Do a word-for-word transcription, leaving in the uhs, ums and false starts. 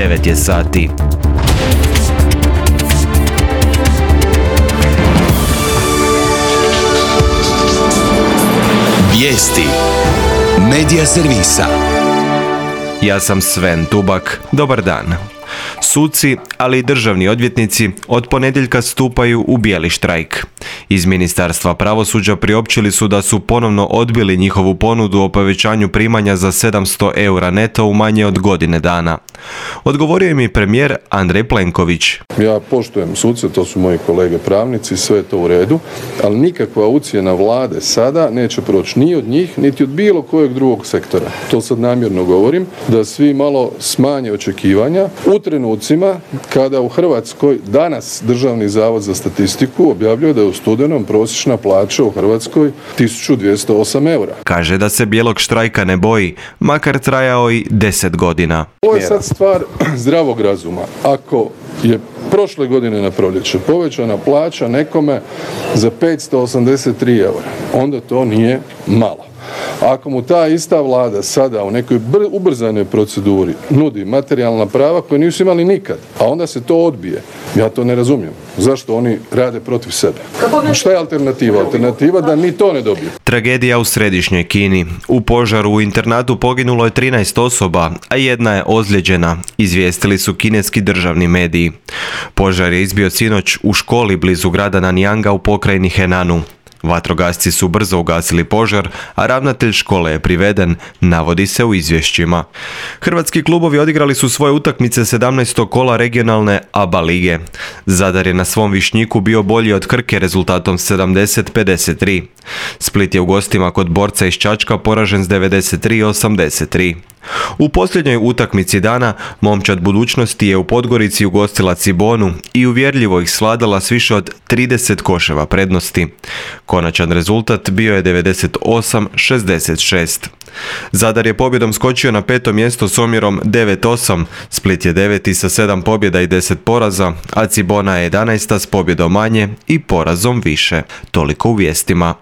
devet je sati. Vijesti Medija servisa. Ja sam Sven Tubak. Dobar dan. Suci, ali i državni odvjetnici od ponedjeljka stupaju u bijeli štrajk. Iz Ministarstva pravosuđa priopćili su da su ponovno odbili njihovu ponudu o povećanju primanja za sedamsto eura neto u manje od godine dana. Odgovorio im je premijer Andrej Plenković. Ja poštujem suce, to su moji kolege pravnici, sve je to u redu, ali nikakva ucjena vlade sada neće proći ni od njih, niti od bilo kojeg drugog sektora. To sad namjerno govorim, da svi malo smanje očekivanja u trenucima kada u Hrvatskoj danas Državni zavod za statistiku objavljuje da je u studenom prosječna plaća u Hrvatskoj tisuću dvjesto osam eura. Kaže da se bijelog štrajka ne boji, makar trajao i deset godina. Ovo je sad stvar zdravog razuma. Ako je prošle godine na proljeće povećana plaća nekome za petsto osamdeset tri eura, onda to nije malo. Ako mu ta ista vlada sada u nekoj br- ubrzanoj proceduri nudi materijalna prava koje nisu imali nikad, a onda se to odbije, ja to ne razumijem. Zašto oni rade protiv sebe? A šta je alternativa? Alternativa da ni to ne dobiju. Tragedija u središnjoj Kini. U požaru u internatu poginulo je trinaest osoba, a jedna je ozlijeđena, izvijestili su kineski državni mediji. Požar je izbio sinoć u školi blizu grada Nanyanga u pokrajini Henanu. Vatrogasci su brzo ugasili požar, a ravnatelj škole je priveden, navodi se u izvješćima. Hrvatski klubovi odigrali su svoje utakmice sedamnaestog kola regionalne A B A lige. Zadar je na svom Višnjiku bio bolji od Krke rezultatom sedamdeset pedeset tri. Split je u gostima kod Borca iz Čačka poražen s devedeset tri osamdeset tri. U posljednjoj utakmici dana Momčad budućnosti je u Podgorici ugostila Cibonu i uvjerljivo ih svladala s više od trideset koševa prednosti. Konačan rezultat bio je devedeset osam šezdeset šest. Zadar je pobjedom skočio na peto mjesto s omjerom devet osam, Split je deveti sa sedam pobjeda i deset poraza, a Cibona je jedanaesta s pobjedom manje i porazom više. Toliko u vijestima.